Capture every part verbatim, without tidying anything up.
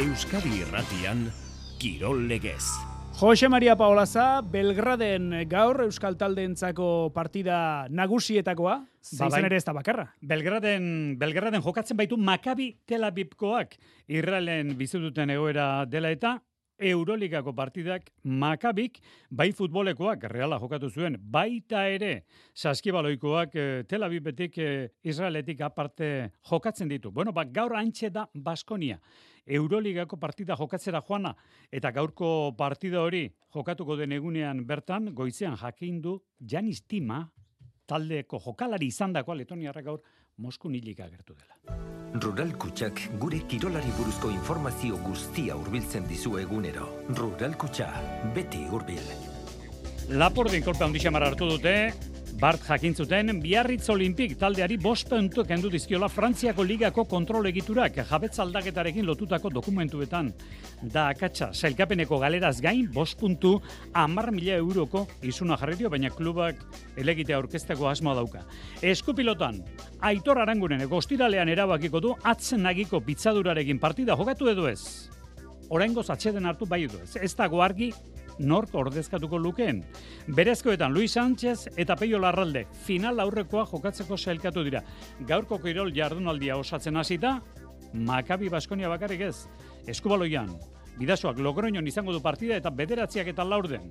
Euskadi Irratian, Kirol Legez. Jose Maria Paolaza, Belgraden gaur Euskal Taldeentzako partida nagusietakoa, zein ere ez da bakarra. Belgraden, Belgraden jokatzen baitu Maccabi Tel Avivkoak, Israelen bizituten egoera dela eta Euroligako partidak Maccabik, bai futbolekoak Reala jokatu zuen, baita ere saskibaloikoak Tel Avivetik Israeletik aparte jokatzen ditu. Bueno, ba, gaur antxe da Baskonia. Euroligako partida jokatzera joana, eta gaurko partida hori jokatuko den egunean bertan, goizean jakindu Janis Tima, taldeko jokalari izandakoa Letoniarra gaur Moskun hilik agertu dela. Rural Kutxak gure kirolari buruzko informazio guztia hurbiltzen dizu egunero. Rural Kutxa, beti hurbil. Lapordin kolpe handi xamar hartu dute, Bart jakintzuten, Biarritz Olimpik taldeari bost puntu kendu dizkiola Frantziako ligako kontrol egiturak jabetz aldaketarekin lotutako dokumentuetan. Da akatsa, sailkapeneko galeraz gain, bost puntu, hamar mila euroko izuna jarri dio, baina klubak elegitea aurkezteko asmoa dauka. Eskupilotan, Aitor Arangunen ostiralean erabakiko du atzen nagiko pitzadurarekin partida jokatu edo ez. Oraingoz atxeden hartu bai edo ez. Ez dago argi nork ordezkatuko lukeen. Berezkoetan Luis Sánchez eta Peio Larralde final aurrekoa jokatzeko sailkatu dira. Gaurko kirol jardunaldia osatzen hasita, Maccabi Baskonia bakarrik ez. Eskubaloian, Bidasoak Logroñon izango du partida eta bederatziak eta laurden.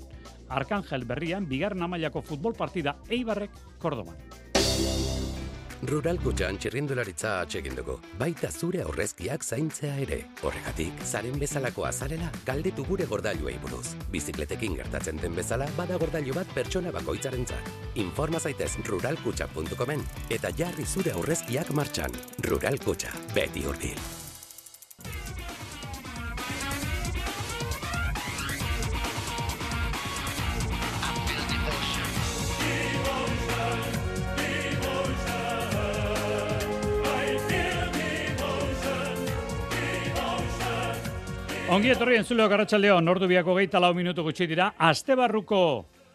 Arkangel Berrian, bigarren mailako futbol partida Eibarrek Kordoban. Rural Kutxan txirrindularitza atsegin dugu, baita zure aurrezkiak zaintzea ere. Horregatik, zaren bezalakoa zarela, galdetu gure gordailuei buruz. Bizikletekin gertatzen den bezala, bada gordailu bat pertsona bakoitzarentzat. Informa zaitez rural kutxa puntu comen eta jarri zure aurrezkiak martxan. Rural Kutxa, beti hurbil. Ongi etorri entzuleok arratsaldeon, ordu biako geita lau minutu gutxi dira, astebarruko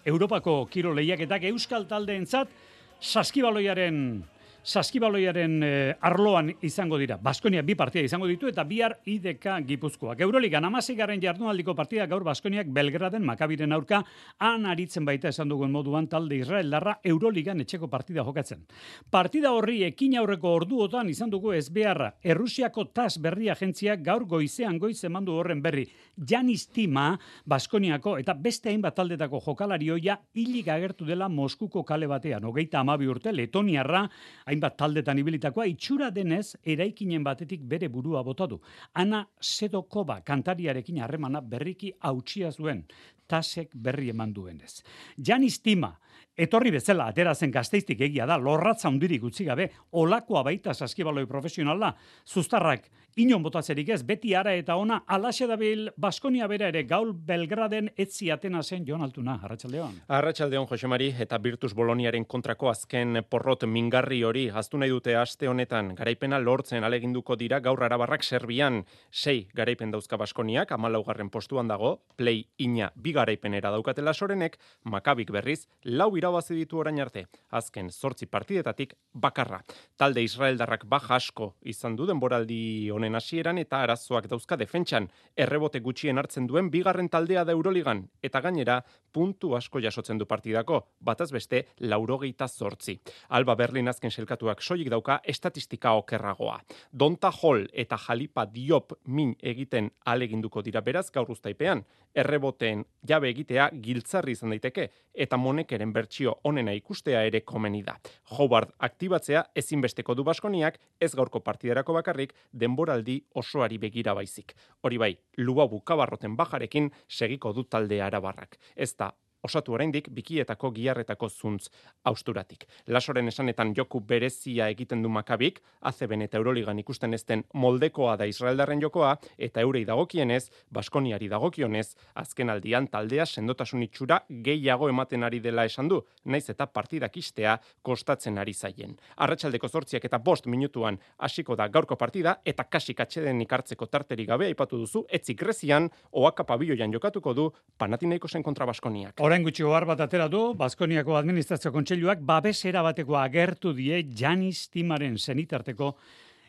Europako kiro lehiaketak Euskal Taldeentzat saskibaloiaren saskibaloiaren eh, arloan izango dira. Baskonia bi partida izango ditu eta bihar I D K Gipuzkoak. Euroligan hamaseigarren jardunaldiko partida gaur Baskoniak Belgraden Maccabiren aurka han aritzen baita esan dugun moduan talde Israeldarra Euroligan etxeko partida jokatzen. Partida horri ekin aurreko orduotan izan dugu ez beharra. Errusiako T A S berri agentziak gaur goizean goiz emandu horren berri. Janis Tima, Baskoniako eta beste hainbat taldetako jokalari ohia hilik agertu dela Moskuko kale batean. Hogeita hamabi urte Letoniarra hainbat taldetan ibilitakoa itxura denez eraikinen batetik bere burua botatu. Ana Sedokova kantariarekin harremana berriki hautsia zuen. Tasek berri eman duenez. Janis Tima, etorri bezala atera zen Gasteiztik egia da, lorratza hundirik utzi gabe, olakoa baita saskibaloi profesionala, zuztarrak inon botatzerik ez, beti ara eta ona, alaxe dabil Baskonia bera ere gaul Belgraden etzi Atena zen Jon Altuna, arratsaldeon. Arratsaldeon Jose Mari eta Virtus Boloniaren kontrako azken porrot mingarri hori haztu nahi dute aste honetan garaipena lortzen aleginduko dira gaur Arabarrak Serbian sei garaipen dauzka Baskoniak, hamalaugarren postuan dago, play ina bi garaipenera daukatela Sorenek, Maccabik berriz lau irabazi ditu orain arte, azken zortzi partidetatik bakarra. Talde Israeldarrak baja asko izan du denboraldi honen hasieran eta arazoak dauzka defentsan, errebote gutxien hartzen duen bigarren taldea da Euroligan, eta gainera puntu asko jasotzen du partidako, bataz beste laurogeita zortzi. Alba Berlin azken selkatuak soilik dauka estatistika okerragoa. Donta Hall eta Jalipa Diop min egiten aleginduko dira beraz gaur uztaipean, erreboteen jabe egitea giltzarri izan daiteke, eta Monekeren bertsio onena ikustea ere komeni da. Howard aktibatzea ezinbesteko du Baskoniak, ez gaurko partiderako bakarrik, denboraldi osoari begira baizik. Hori bai, Lubabu Kabarroten bajarekin segiko du talde Arabarrak. Ez da osatu oraindik bikietako giharretako zuntz austuratik. Lasoren esanetan joku berezia egiten du Maccabik, A C B eta Euroligan ikusten ezten moldekoa da Israeldarren jokoa, eta eurei dagokienez, Baskoniari dagokionez, azken aldian taldea sendotasun itxura gehiago ematen ari dela esan du, naiz eta partidak istea kostatzen ari zaien. Arratsaldeko zortziak eta bost minutuan hasiko da gaurko partida, eta kasik atxeden ikartzeko tarteri gabe aipatu duzu, etzik Grezian, Oaka pabilloian jokatuko du Panathinaikosen kontra Baskoniak. Orain gutxi ohar bat atera du, Baskoniako administrazio kontseiluak babesera bateko agertu die Janis Timaren senitarteko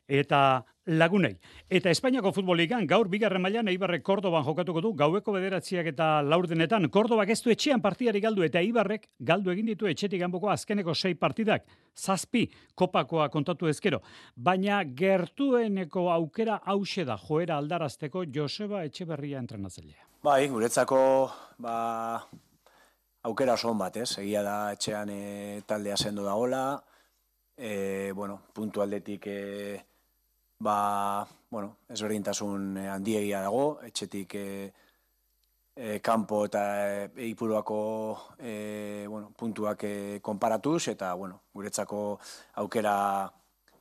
eta lagunei. Eta Espainiako futbolikan gaur bigarren mailan Eibarrek Kordoban jokatuko du gaueko bederatziak eta laurdenetan. Kordobak ez du etxean partidari galdu eta Eibarrek galdu egin ditu etxetik kanpoko azkeneko sei partidak. Zazpi kopakoa kontatu ezkero. Baina gertueneko aukera hause da joera aldarazteko Joseba Etxeberria entrenatzailea. Bai, guretzako ba, aukera oso on bat, ez? Egia da etxean e, taldea sendo dagoela, e, bueno, puntu aldetik e, ba, bueno, ezberdintasun handiegia dago, etxetik e, e, kanpo eta e, Ipuruako e, bueno, puntuak e, konparatuz, eta bueno, guretzako aukera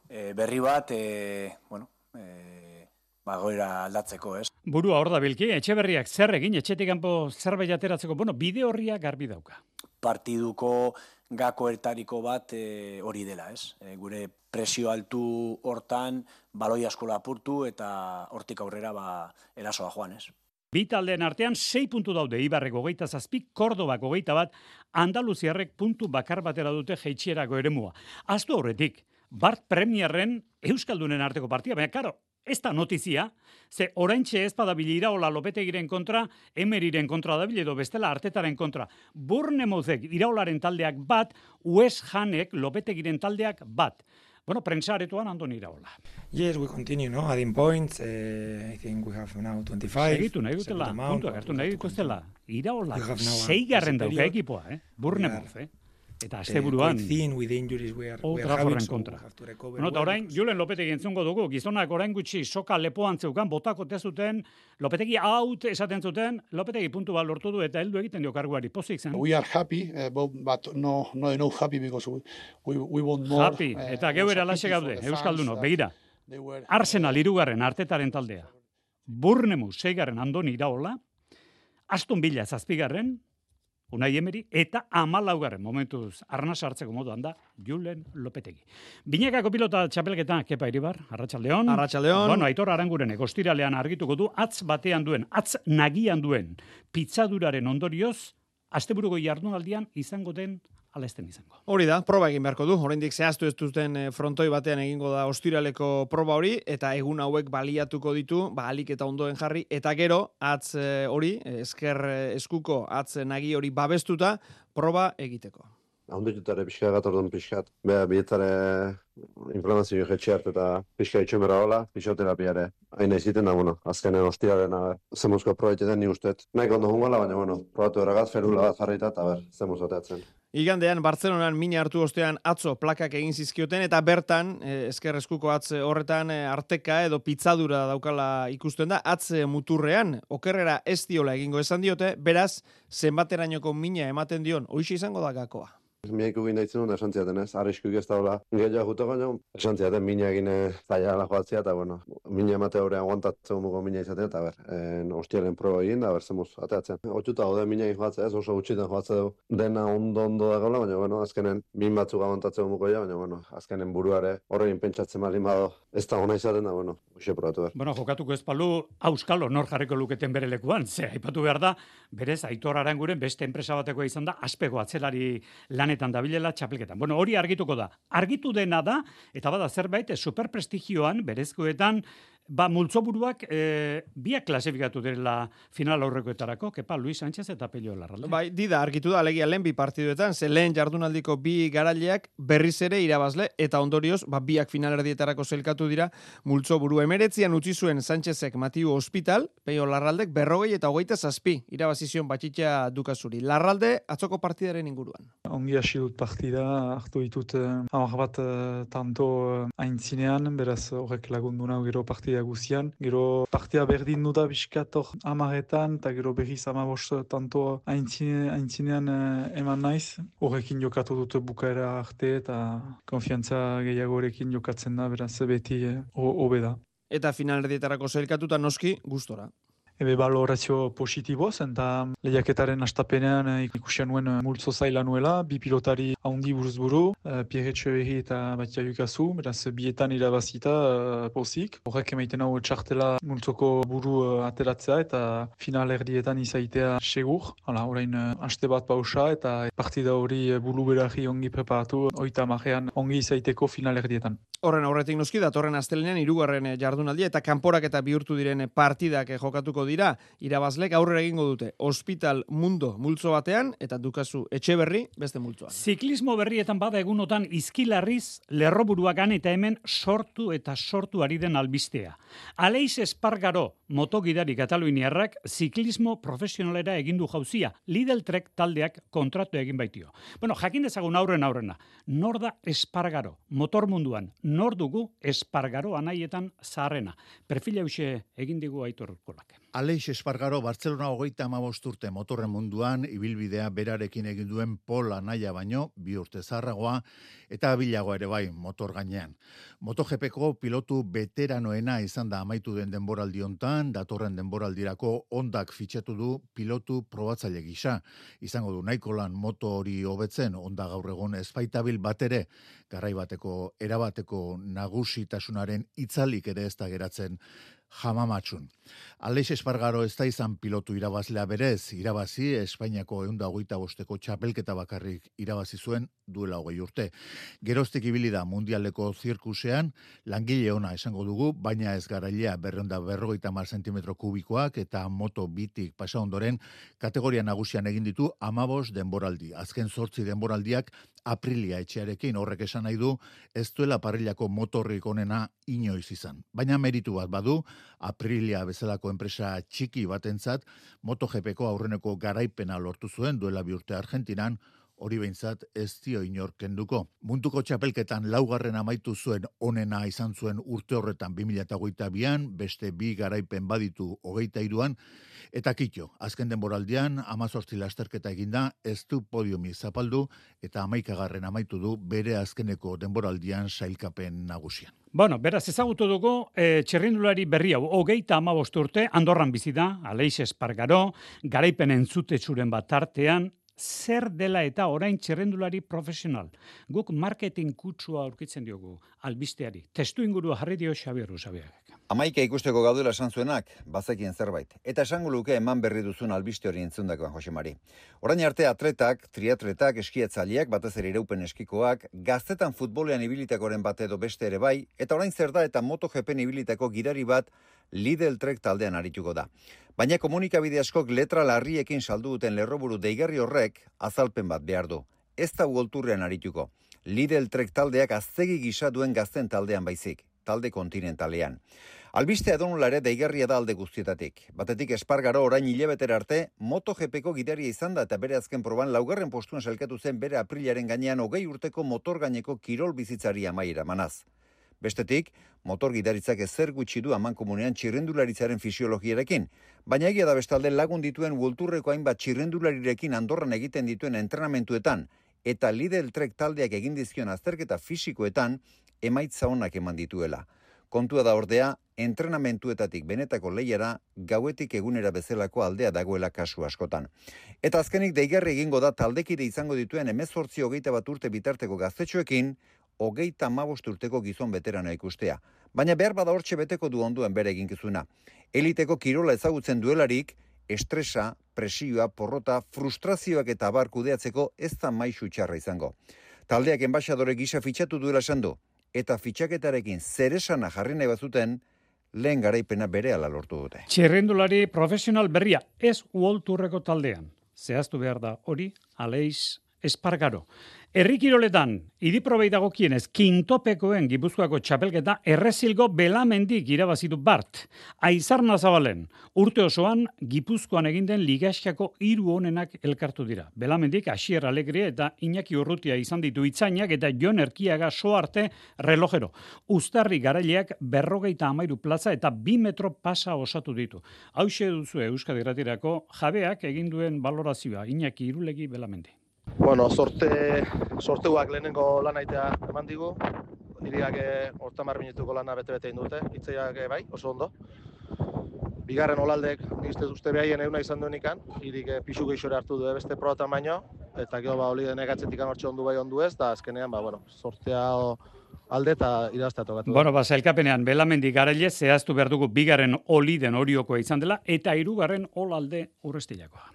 e, berri bat, e, bueno, e, ba, goera aldatzeko, ez? Burua hor da bilki, Etxeberriak zer egin, etxetik kanpo zerbait ateratzeko, bueno, bide horria garbi dauka. Partiduko gakoetariko bat e, hori dela, ez? E, gure presio altu hortan, baloi asko lapurtu eta hortik aurrera ba, erasoa joan, ez? Bi taldeen artean sei puntu daude, Eibarrek hogeita zazpi, Kordobak hogeita bat, Andaluziarrek puntu bakar batera dute jeitxierako eremua. Aztu horretik, Bart Premierren Euskaldunen arteko partia, baina karo, ez da notizia, ze oraintxe ez badabil Iraola Lopetegiren kontra, Emeriren kontra dabil edo bestela Artetaren kontra. Bournemouthek Iraolaren taldeak bat, West Hamek Lopetegiren taldeak bat. Bueno, prentsaretuan Andoni Iraola. Yes, we continue, no? Adding points. Uh, I think we have now twenty-five. Segitu nahi dutela, puntuak hartu nahi dituztela. Iraola, seigarren dauka ekipoa, eh? Bournemouth, eh? Eta asteburuan Old Trafforden kontra. No, eta orain, Julen Lopetegi entzungo dugu, gizonak orain gutxi soka lepoan zeukan, botako tezuten, Lopetegi out esaten zuten, Lopetegi puntu bat lortu du eta heldu egiten dio karguari, pozik zen. We are happy, uh, but no, no enough happy because we, we, we want more. Happy, eta uh, geuera laxe gaude, Euskaldunok, begira. Arsenal irugarren Artetaren taldea, Bournemouth seigarren Andoni Iraola, Aston Villa zazpigarren, Unai Emeri, eta amalaugarren momentuz arnaz hartzeko moduan da Julen Lopetegi. Binakako pilota txapelketa, Kepa Iribar, Arratsaldeon. Arratsaldeon. Bueno, Aitor Aranguren ostiralean argituko du, atz batean duen, atz nagian duen, pitzaduraren ondorioz, asteburuko jardunaldian izango den ala esten izango. Hori da, proba egin beharko du. Oraindik zehaztu ez duten frontoi batean egingo da ostiraleko proba hori, eta egun hauek baliatuko ditu, ba, alik eta ondoen jarri, eta gero, atz hori, esker eskuko atz nagi hori babestuta, proba egiteko. Handikutare pixka gatordun pixkat. Beha, bietzare inflamazio jetxe hartu eta pixka itxumera hola, fisioterapiare. Haina iziten da, bueno, azkenen ostiraren zemuzko probaitetan ni usteet. Naik ondo jungola, baina, bueno, probatu eragaz, ferula bat jarrita, eta ber, zemuz bateatzen. Igandean, Bartzelonan mina hartu ostean atzo plakak egin zizkioten, eta bertan, eh, esker eskuko atz horretan, eh, arteka edo pitzadura daukala ikusten da, atz muturrean, okerrera ez diola egingo esan diote, beraz, zenbaterainoko mina ematen dion, hoixe izango da gakoa. Miaiku gina itzen duen esan ziaten ez, arriskuk ez daula gehiago juto gaino, esan ziaten mina egine zaila joatzea, eta bueno, mina emate horrean aguantatzen mugo mina izaten, eta ber, en, ostiaren proba egin, da ber, zemuz, ateatzen. Otxuta gode mina egin joatzea ez, oso gutxitan joatzea du, dena ondo-ondo da gaula, baina bueno, azkenen min batzuk aguantatzen mugo ja, baina bueno, azkenen buruare horrein pentsatzen malin bado, ez da hona izaten da, bueno, hoxe probatu behar. Bueno, jokatuko ez palu, auskalo nor jarriko luketen bere lekuan, ze, aipatu behar da, berez, Aitor Aranguren beste enpresa batekoa izan da, aspego atzelari lanetan dabilela txapelketan. Bueno, hori argituko da. Argitu dena da, eta bada zerbait, superprestigioan, berezkoetan, ba, multzoburuak e, biak klasifikatu direla final aurrekoetarako, Kepa, Luis Sánchez eta Pello Larralde. Bai, dida, argitu da, alegia lehen bi partiduetan, ze lehen jardunaldiko bi garaileak berriz ere irabazle, eta ondorioz, ba, biak finalerdietarako zelkatu dira, multzoburu emeretzian utzi zuen Sánchezek Matiu Hospital, Pello Larraldek berrogei eta hogeita zazpi, irabazizion batxitxa dukazuri. Larralde, atzoko partidaren inguruan. Ongi hasi dut partida, hartu ditut eh, hamar bat eh, tanto eh, aintzinean, beraz horrek lagundu nahu gero partida guzian. Gero partia berdin du da biskator amaretan, eta gero berriz amabost tanto aintzine, aintzinean eh, eman naiz. Horrekin jokatu dut bukaera arte, eta konfiantza gehiago horrekin jokatzen da, beraz beti hobe eh, da. Eta finalerdietarako zelkatuta noski gustora. Ebe balorazio positiboz, eta lehiaketaren astapenean ikusian nuen multzo zaila nuela, bi pilotari haundi buruz-buru, Pierre Etxeberri eta Batia Yukazu, beraz bietan irabazita uh, pozik. Horrek emaiten hau txartela multzoko buru uh, ateratzea eta final erdietan izaitea segur. Hala, orain uh, aste bat pausa eta partida hori buru berari ongi preparatu, oita marrean ongi izaiteko final erdietan. Horren aurretik noski datorren astelenean hirugarren jardunaldia eta kanporaketa bihurtu diren partidak jokatuko dira. Irabazlek aurrera egingo dute Hospital Mundo multzo batean eta Dukazu Etxeberri beste multzoan. Ziklismo berrietan bada egunotan izkilarriz lerroburuagan eta hemen sortu eta sortu ari den albistea. Aleix Espargaro motogidari kataluniarrak ziklismo profesionalera egin du jauzia. Lidl Trek taldeak kontratu egin baitio. Bueno, jakin dezagun aurren aurrena. Nor da Espargaro? Motor munduan. Nor dugu Espargaro anaietan zaharrena. Perfila huxe egin digu Aitor Kolak. Aleix Espargaro Bartzelona hogeita hamabost urte motorren munduan ibilbidea berarekin egin duen Pol anaia baino bi urte zaharragoa eta bilagoa ere bai motor gainean. MotoGPko pilotu veteranoena izan da amaitu den denboraldi hontan, datorren denboraldirako Hondak fitxatu du pilotu probatzaile gisa. Izango du nahiko lan moto hori hobetzen Honda gaur egun ez baitabil batere garai bateko erabateko nagusitasunaren itzalik ere ez da geratzen jamamatxun. Aleix Espargaro ez da izan pilotu irabazlea berez, irabazi Espainiako ehun eta hogeita bosteko txapelketa bakarrik irabazi zuen duela hogei urte. Geroztik ibili da mundialeko zirkusean, langile ona esango dugu, baina ez garailea berrehun eta berrogeita hamar zentimetro kubikoak eta moto bitik pasa ondoren kategoria nagusian egin ditu hamabost denboraldi. Azken zortzi denboraldiak Aprilia etxearekin, horrek esan nahi du ez duela parrilako motorrik onena inoiz izan. Baina meritu bat badu, Aprilia bezalako enpresa txiki batentzat MotoGPko aurreneko garaipena lortu zuen duela bi urte Argentinan, hori behintzat ez dio inor kenduko. Munduko txapelketan laugarren amaitu zuen onena izan zuen urte horretan bi mila hogeita bian, beste bi garaipen baditu hogeita hiruan, eta kitxo, azken denboraldian hamazortzi lasterketa eginda, ez du podiumi zapaldu eta hamaikagarren amaitu du bere azkeneko denboraldian sailkapen nagusian. Bueno, beraz ezagutu dugu e, txirrindulari berri hau, hogeita hamabost urte, Andorran bizi da, Aleix Espargaro, garaipen entzutetsuren bat tartean, zer dela eta orain txirrindulari profesional. Guk marketing kutsua aurkitzen diogu albisteari. Testu ingurua jarri dio Xabier Usabiagak. Amaika ikusteko gaudela esan zuenak, bazekien zerbait. Eta esango luke eman berri duzun albiste hori entzundakoan, Jose Mari. Orain arte atletak, triatletak, eskiatzaileak, batez ere iraupen eskikoak, gaztetan futbolean ibilitakoren bat edo beste ere bai, eta orain zer da eta MotoGPen ibilitako gidari bat Lidl Trek taldean arituko da. Baina komunikabide askok letra larriekin saldu duten lerroburu deigarri horrek azalpen bat behar du. Ez da uolturrean arituko. Lidl Trek taldeak aztegi gisa duen gazten taldean baizik, talde kontinentalean. Albiste edonola ere deigarria da alde guztietatik. Batetik Espargaro orain hilabetera arte MotoGPko gidaria izan da eta bere azken proban laugarren postuan sailkatu zen bere aprilaren gainean hogei urteko motor gaineko kirol bizitzari amaiera manaz. Bestetik, motor gidaritzak ezer gutxi du amankomunean txirrendularitzaren fisiologiarekin, baina egia da bestalde lagun dituen Worldtourreko hainbat txirrendularirekin Andorran egiten dituen entrenamentuetan eta Lidl Trek taldeak egin dizkion azterketa fisikoetan emaitza onak eman dituela. Kontua da ordea, entrenamentuetatik benetako lehiara gauetik egunera bezalako aldea dagoela kasu askotan. Eta azkenik deigarri egingo da taldekide izango dituen hemezortzi hogeita bat urte bitarteko gaztetxoekin, hogeita hamabost urteko gizon veteranoa ikustea. Baina behar bada hortxe beteko du onduen bere eginkizuna. Eliteko kirola ezagutzen duelarik, estresa, presioa, porrota, frustrazioak eta abar kudeatzeko ez da maisu txarra izango. Taldeak enbaixadore gisa fitxatu duela esan du, eta fitxaketarekin zeresana jarri nahi bazuten, lehen garaipena berehala lortu dute. Txirrindulari profesional berria, ez Worldtourreko taldean. Zehaztu behar da hori, Aleix Espargaro. Herri kiroletan, idiprobei dagokienez, kintopekoen Gipuzkoako txapelketa errezilgo Belamendik irabazitu Bart. Aizarna Zabalen, urte osoan Gipuzkoan egin den ligaxkako hiru onenak elkartu dira. Belamendik, Asier Alegre eta Iñaki Urrutia izan ditu Itzainak eta Jon Erkiaga soarte relojero. Uztarri garaileak berrogeita amairu plaza eta bi metro pasa osatu ditu. Hauxe duzu Euskadi Gratirako jabeak egin duen balorazioa, Iñaki Irulegi Belamendi. Bueno, sorte, sorteuak lehenengo lanaitea eman digu, iriak hortamar minutuko lana bete-bete indute, itzeiak bai, oso ondo. Bigarren olaldek, nizte uste behaien euna izan duenikan, irik pixu geixore hartu du beste probatan baino, eta gero ba, oli denek atzetik anortxe ondu bai ondu ez, eta azkenean, ba, bueno, sortea alde eta iraztea tokatu. Bueno, ba, zailkapenean, Belamendi garaile zehaztu behar dugu bigarren oliden oriokoa izan dela, eta hirugarren olalde urrestilakoa.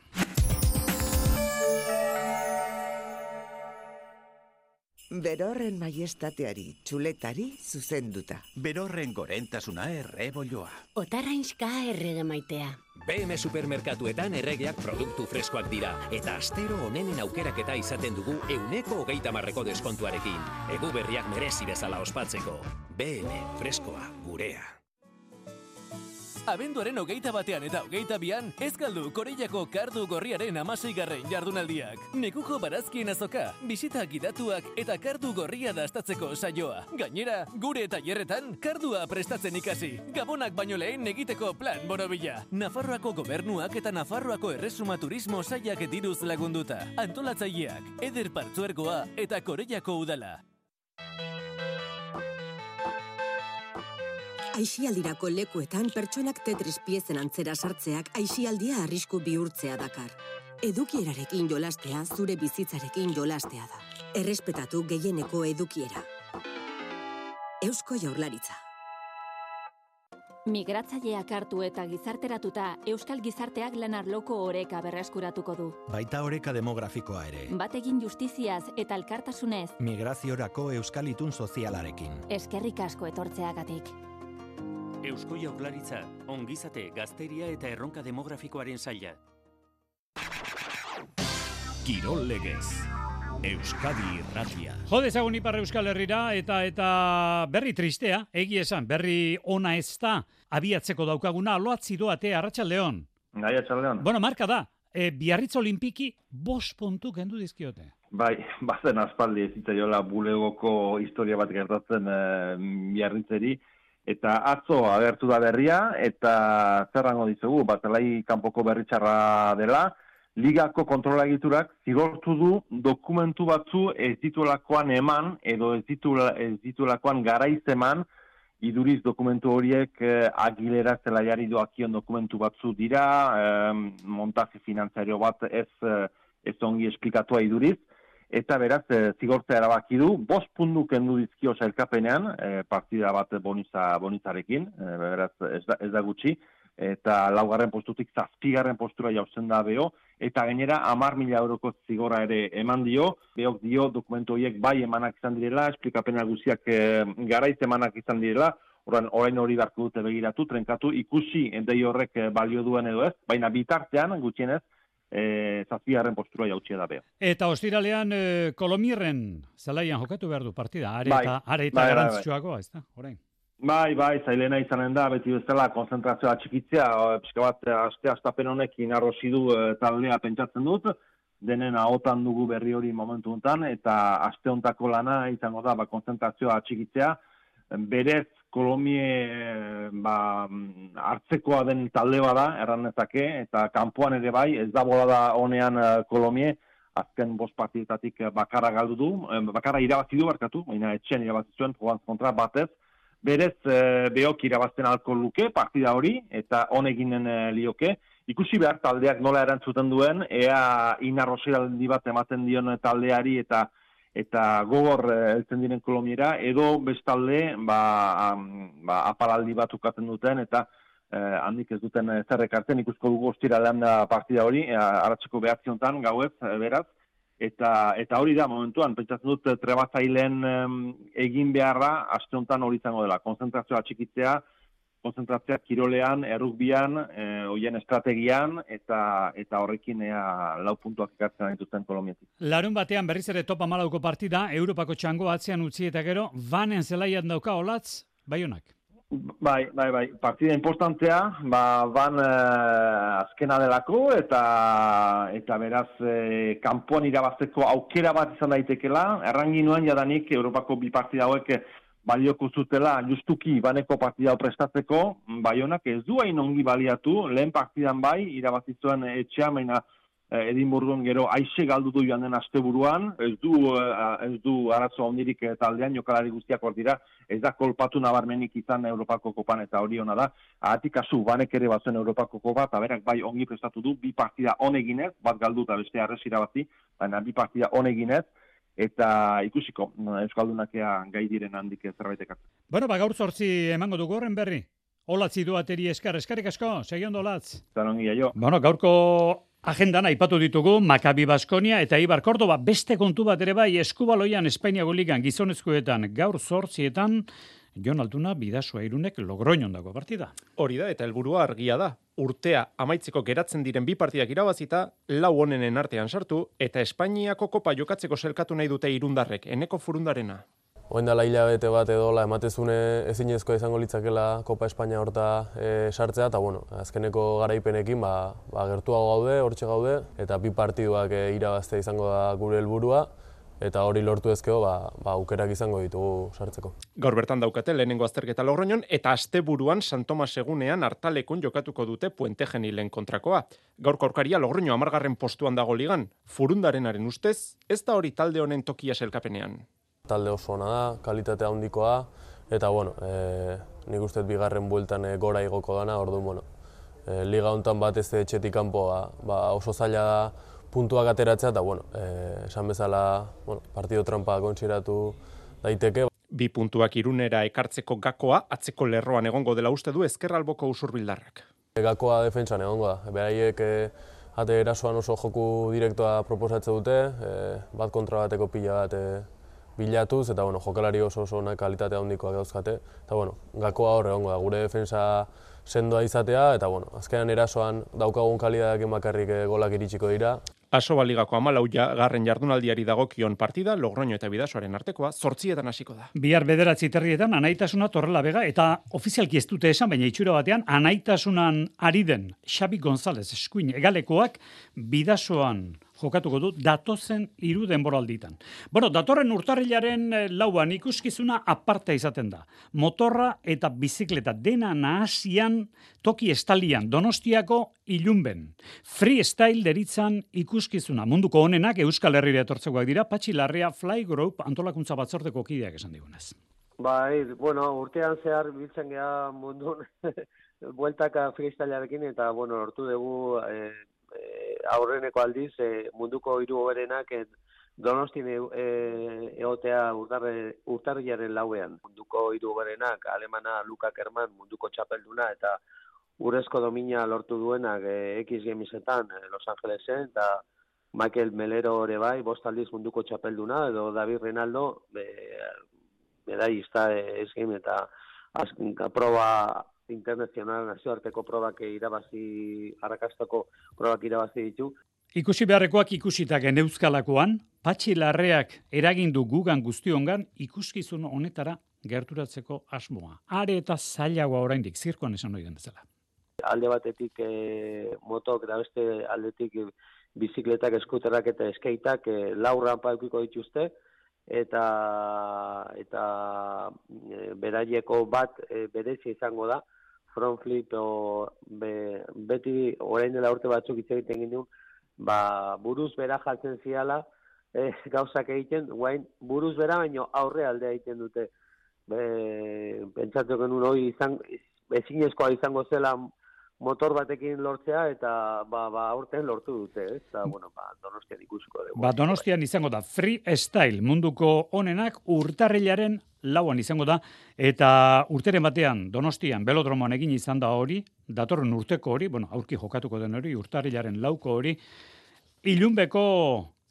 Berorren maiestateari, txuletari zuzenduta. Berorren gorentasuna errebolloa. Otarrainska errege maitea. B M Supermerkatuetan erregeak produktu freskoak dira, eta astero onenen aukeraketa izaten dugu euneko hogeita marreko deskontuarekin. Egu berriak merezi bezala ospatzeko. B M freskoa gurea. Abenduaren hogeita batean eta hogeita bian, ez galdu Koreiako kardu gorriaren amaseigarren jardunaldiak. Nekuko barazkien azoka, bisita gidatuak eta kardu gorria dastatzeko saioa. Gainera, gure tailerretan kardua prestatzen ikasi. Gabonak baino lehen egiteko plan borobila. Nafarroako gobernuak eta Nafarroako erresuma turismo sailak diruz lagunduta. Antolatzaileak, Eder Partzuergoa eta Koreiako udala. Aisialdirako lekuetan pertsonak Tetris piezen antzera sartzeak aisialdia arrisku bihurtzea dakar. Edukierarekin jolastea zure bizitzarekin jolastea da. Errespetatu gehieneko edukiera. Eusko Jaurlaritza. Migratzaileak hartu eta gizarteratuta, Euskal Gizarteak lan arloko oreka berreskuratuko du. Baita oreka demografikoa ere. Bategin justiziaz eta elkartasunez. Migraziorako Euskal Itun sozialarekin. Eskerrik asko etortzeagatik. Eusko Jaurlaritza, ongizate, gazteria eta erronka demografikoaren saila. Kirol legez. Euskadi Irratia. Jode ezagun Ipar Euskal Herrira eta eta berri tristea, egi esan, berri ona ez da, abiatzeko daukaguna, aloatzi doate, Arratsaldeon. Gai, Arratsaldeon. Bueno, marka da, e, Biarritz Olimpiki bost puntu kendu dizkiote. Bai, bazen aspaldi ez zitzaiola bulegoko historia bat gertatzen e, Biarritzeri, eta atzo agertu da berria, eta zerrango dizugu, Bazelai kanpoko berritxarra dela, ligako kontrola egiturak zigortu du dokumentu batzu ez dituelakoan eman, edo ez, ditula, ez dituelakoan garaiz eman, iduriz dokumentu horiek eh, Agilera zelaiari doakion dokumentu batzu dira, eh, montaje finantzario bat ez, eh, ez ongi esplikatua iduriz, eta beraz, e, zigortzea erabaki du, bost puntu kendu dizkio sailkapenean, e, partida bat boniza, bonizarekin, e, beraz, ez da, ez da gutxi, eta laugarren postutik zazpigarren postura jauzen da beho, eta gainera hamar mila euroko zigorra ere eman dio, behok dio dokumentu horiek bai emanak izan direla, esplikapena guziak e, garaiz emanak izan direla, orain, orain hori beharko dute begiratu, trenkatu, ikusi endei horrek balio duen edo ez, baina bitartean, gutxienez, E, zazpigarren postura jautxia da beho. Eta ostiralean e, Kolomirren zelaian jokatu behar du partida, are bai, eta, are eta bai, garrantzitsuagoa, ez da, orain. Bai, bai, zailena izanen da, beti bezala konzentrazioa txikitzea, pixka bat, aste astapen honekin arrosi du e, taldea pentsatzen dut, denen ahotan dugu berri hori momentu honetan, eta aste hontako lana izango da, ba, konzentrazioa txikitzea, berez Kolomie ba, hartzekoa den talde bada, erranezake, eta kanpoan ere bai, ez da bolada honean uh, Kolomie, azken bost partidetatik bakarra galdu du, bakarra irabazi du barkatu, baina etxean irabazi zuen, Provence kontra batez, berez uh, behok irabazten alko luke partida hori, eta honeginen uh, lioke, ikusi behar taldeak nola erantzuten duen, ea inarrosiraldi bat ematen dion taldeari eta eta gogor heltzen diren Kolomiera, edo bestalde ba, ba, aparaldi bat ukatzen duten, eta eh, handik ez duten zerrek hartzen, ikusko dugu ostiralean da partida hori, eh, aratzeko behatzi honetan, gauez, beraz, eta eta hori da momentuan, pentsatzen dut trebatzaileen eh, egin beharra, aste honetan hori izango dela, konzentrazioa txikitzea, konzentrazioa kirolean, errukbian, e, hoien estrategian, eta eta horrekin ea lau puntuak ekartzen dituzten Kolombiatik. Larun batean berriz ere top hamalauko partida, Europako txango atzean utzi eta gero, Vanen zelaian dauka olatz, Baionak. Bai, bai, bai, partida importantea, ba, Van eh, azkena delako, eta eta beraz, eh, kanpoan irabazteko aukera bat izan daitekela, erranginuen jadanik Europako bi partida hauek balioko zutela justuki baneko partida prestatzeko, Baionak ez du hain ongi baliatu, lehen partidan bai, irabazi zuen etxea, baina Edinburgon gero aixe galdu du joan den asteburuan, ez du, ez du arazo ondirik taldean, jokalari guztiak hor dira, ez da kolpatu nabarmenik izan Europako kopan eta hori ona da, ahatik asu banek ere bazen Europako kopa, eta berak bai ongi prestatu du, bi partida honeginez, bat galdu eta beste arrez irabazi, baina bi partida honeginez, eta ikusiko, Euskaldunak ea gai diren handik zerbait ekartzen. Bueno, ba gaur zortzi emango dugu horren berri. Olatzi duateri eskar, eskarrik asko, segi ondo Olatz. Zanongi, aio. Bueno, gaurko Agendan aipatu ditugu Maccabi Baskonia eta Eibar Córdoba, beste kontu bat ere bai Eskubaloian Espainiako ligan gizonezkoetan gaur zortzietan Jon Altuna Bidasoa Irunek Logroñon dago partida. Hori da eta helburua argia da. Urtea amaitzeko geratzen diren bi partidak irabazita, lau onenen artean sartu eta Espainiako kopa jokatzeko selkatu nahi dute irundarrek, Eneko Furundarena. Oen dela hilabete bat edola ematezune ezinezkoa izango litzakela Kopa Espainia horta e, sartzea, eta bueno, azkeneko garaipenekin ba, ba, gertuago gaude, hortxe gaude, eta bi partiduak e, irabaztea izango da gure helburua, eta hori lortu ezkeo, ba, ba, aukerak izango ditugu sartzeko. Gaur bertan daukate lehenengo azterketa Logroñon, eta asteburuan San Tomas egunean hartalekun jokatuko dute Puente Genilen kontrakoa. Gaurko aurkaria Logroño hamargarren postuan dago ligan, Furundarenaren ustez, ez da hori talde honen tokia selkapenean. Talde oso ona da, kalitatea handikoa, eta bueno, e, nik uste bigarren bueltan e, gora igoko dana, orduan, bueno, e, liga hontan bat ez etxetik kanpo ba, ba, oso zaila da puntuak ateratzea, eta bueno, e, esan bezala bueno, partido trampa kontsiratu daiteke. Bi puntuak Irunera ekartzeko gakoa, atzeko lerroan egongo dela uste du ezkerraldeko usurbildarrak. E, gakoa defentsan egongo da, beraiek e, ate erasoan oso joku direktoa proposatze dute, e, bat kontra bateko pila bat e, bilatuz, eta bueno, jokalari oso oso onak kalitatea handikoak dauzkate, eta bueno, gakoa hor egongo da, gure defensa sendoa izatea, eta bueno, azkenan erasoan daukagun kalitateak bakarrik golak iritsiko dira. Asoba ligako hamalau garren jardunaldiari dagokion partida, Logroño eta Bidasoaren artekoa, zortzietan hasiko da. Bihar bederatzi terrietan anaitasuna Torrelavega eta ofizialki ez dute esan, baina itxura batean anaitasunan ari den Xabi González eskuin egalekoak Bidasoan jokatuko du datozen hiru denboralditan. Bueno, datorren urtarrilaren lauan ikuskizuna aparta izaten da. Motorra eta bizikleta dena nahasian toki estalian Donostiako Ilunben. Freestyle deritzan ikuskizuna munduko honenak Euskal Herrira etortzekoak dira, Patxi Larrea Fly Group antolakuntza batzordeko kideak esan digunez. Bai, bueno, urtean zehar biltzen geha mundun bueltaka freestylearekin eta bueno, lortu dugu eh, aurreneko aldiz e, munduko hiru hoberenak e, Donostin e, e, egotea urtarrilaren lauean. Munduko hiru hoberenak alemana Luka Kerman munduko txapelduna eta urrezko domina lortu duenak e, X Gamesetan e, Los Angelesen eta Michael Melero ere bai, bost aldiz munduko txapelduna edo David Renaldo e, medaillista e, X Game eta azken proba internazional nazioarteko probak irabazi, arrakastako probak irabazi ditu. Ikusi beharrekoak ikusita geneuzkalakoan, Patxi Larreak eragindu gugan guztiongan ikuskizun honetara gerturatzeko asmoa. Are eta zailagoa oraindik zirkoan esan ohi den bezala. Alde batetik e, motok eta beste aldetik e, bizikletak, eskuterrak eta eskeitak e, lau rampa edukiko dituzte, eta eta e, beraieko bat e, berezia izango da, front flip o be, beti orain dela urte batzuk hitz egiten ginen, ba, buruz bera jaltzen ziala e, gauzak egiten, guain buruz bera baino aurre aldea egiten dute. Be, pentsatu genuen hori izan, ezinezkoa izango zela motor batekin lortzea eta ba, ba aurten lortu dute, ez? Eta, bueno, ba, Donostian ikusiko dugu. Ba, Donostian izango da freestyle munduko honenak urtarrilaren lauan izango da, eta urteren batean Donostian belodromoan egin izan da hori, datorren urteko hori, bueno, aurki jokatuko den hori, urtarrilaren lauko hori, Ilunbeko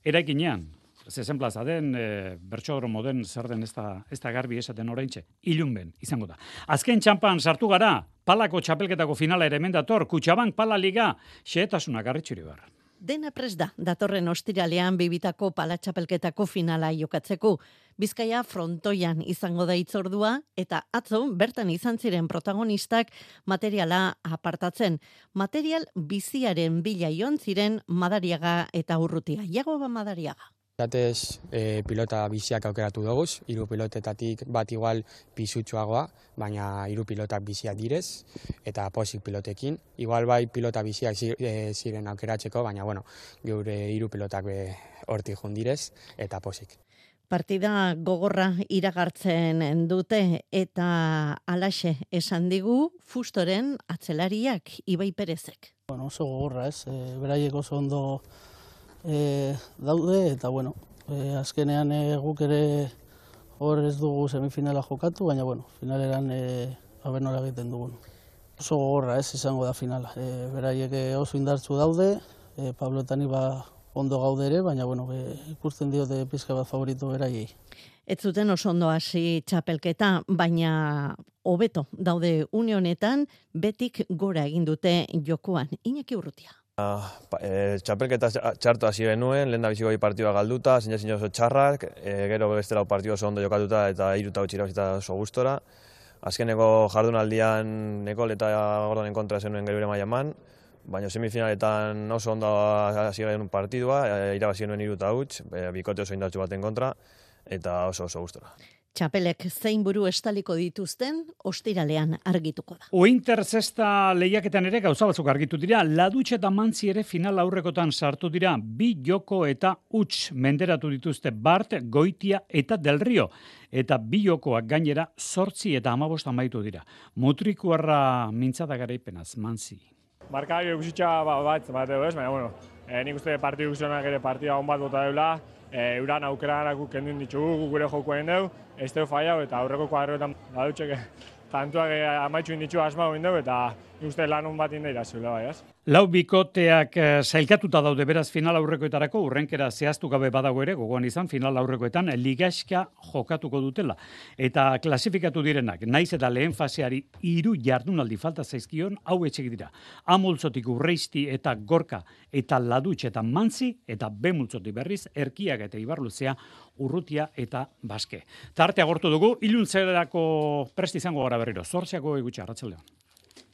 eraikinean, zezen plaza den, e, bertxodromo den, zer den ez da, ez da garbi esaten oraintxe, Ilunben izango da. Azken txampan sartu gara, palako txapelketako finala ere mendator, Kutxabank pala liga, xehetasuna garritxuri behar. Dena prest da, datorren ostiralean bibitako palatxapelketako finala jokatzeko. Bizkaia frontoian izango da itzordua, eta atzo bertan izan ziren protagonistak materiala apartatzen. Material biziaren bila joan ziren Madariaga eta Urrutia. Jagoba Madariaga. Zatez, e, pilota biziak aukeratu doguz, hiru pilotetatik bat igual pisutsuagoa, baina hiru pilotak biziak direz, eta posik pilotekin. Igual bai pilota biziak ziren aukeratzeko, baina bueno, geure hiru pilotak hortik jundirez, eta posik. Partida gogorra iragartzen dute, eta alaxe esan digu Fustoren atzelariak Ibai Perezek. Bueno, oso gogorra ez, e, beraiek oso ondo E, daude eta bueno, e, azkenean e, guk ere hor ez dugu semifinala jokatu, baina bueno, finaleran e, haber nola egiten dugun. Oso gogorra ez izango da finala. E, beraiek oso indartzu daude, e, Pablo eta ni ba ondo gaude ere, baina bueno, be, ikusten diote pizka bat favorito beraiei. Ez zuten oso ondo hasi txapelketa, baina hobeto daude une honetan, betik gora egin dute jokoan. Iñaki Urrutia. E, txapelketa txartu hasi genuen, lehen da biziko partidua galduta, zein zin oso txarrak, e, gero bestela partidua oso ondo jokatuta eta iruta utxira bizita oso gustora. Azkeneko jardunaldian Nekol eta Gordonen kontra zenuen gero ere maiaman, baina semifinaletan oso ondo hasi genuen partidua, e, irabazi genuen iruta utx, e, bikote oso indartsu baten kontra, eta oso oso gustora. Txapelek zein buru estaliko dituzten, ostiralean argituko da. Ointer zesta lehiaketan ere gauza batzuk argitu dira, Ladutxe eta Mantzi ere final aurrekotan sartu dira, bi joko eta huts menderatu dituzte Bart, Goitia eta Del Rio. Eta bi jokoak gainera zortzi eta hamabost amaitu dira. Mutrikuarra mintzada garaipenaz, Mantzi. Markagio guzitxa bat, bat edo ez, baina bueno, e, nik uste partidu guztionak ere partida hon bat bota deula, e, euran aukeranak guk kendun ditugu, gure jokoen dugu, ez dugu fallau, eta aurreko kuadroetan badutxek tantuak amaitxu inditxu asma egin dugu, eta nik uste lan hon bat inda irazula bai, ez? Lau bikoteak zailkatuta daude beraz final aurrekoetarako, urrenkera zehaztu gabe badago ere, gogoan izan final aurrekoetan ligaxka jokatuko dutela. Eta klasifikatu direnak, naiz eta lehen faseari hiru jardunaldi falta zaizkion, hau etxek dira. A multzotik Urreisti eta Gorka eta Ladutxe eta Mantzi, eta B multzotik berriz, Erkiak eta Ibarluzea, Urrutia eta Baske. Tarte agortu dugu, iluntzerako prest izango gara berriro, zortziako egutxe, arratsaldeon.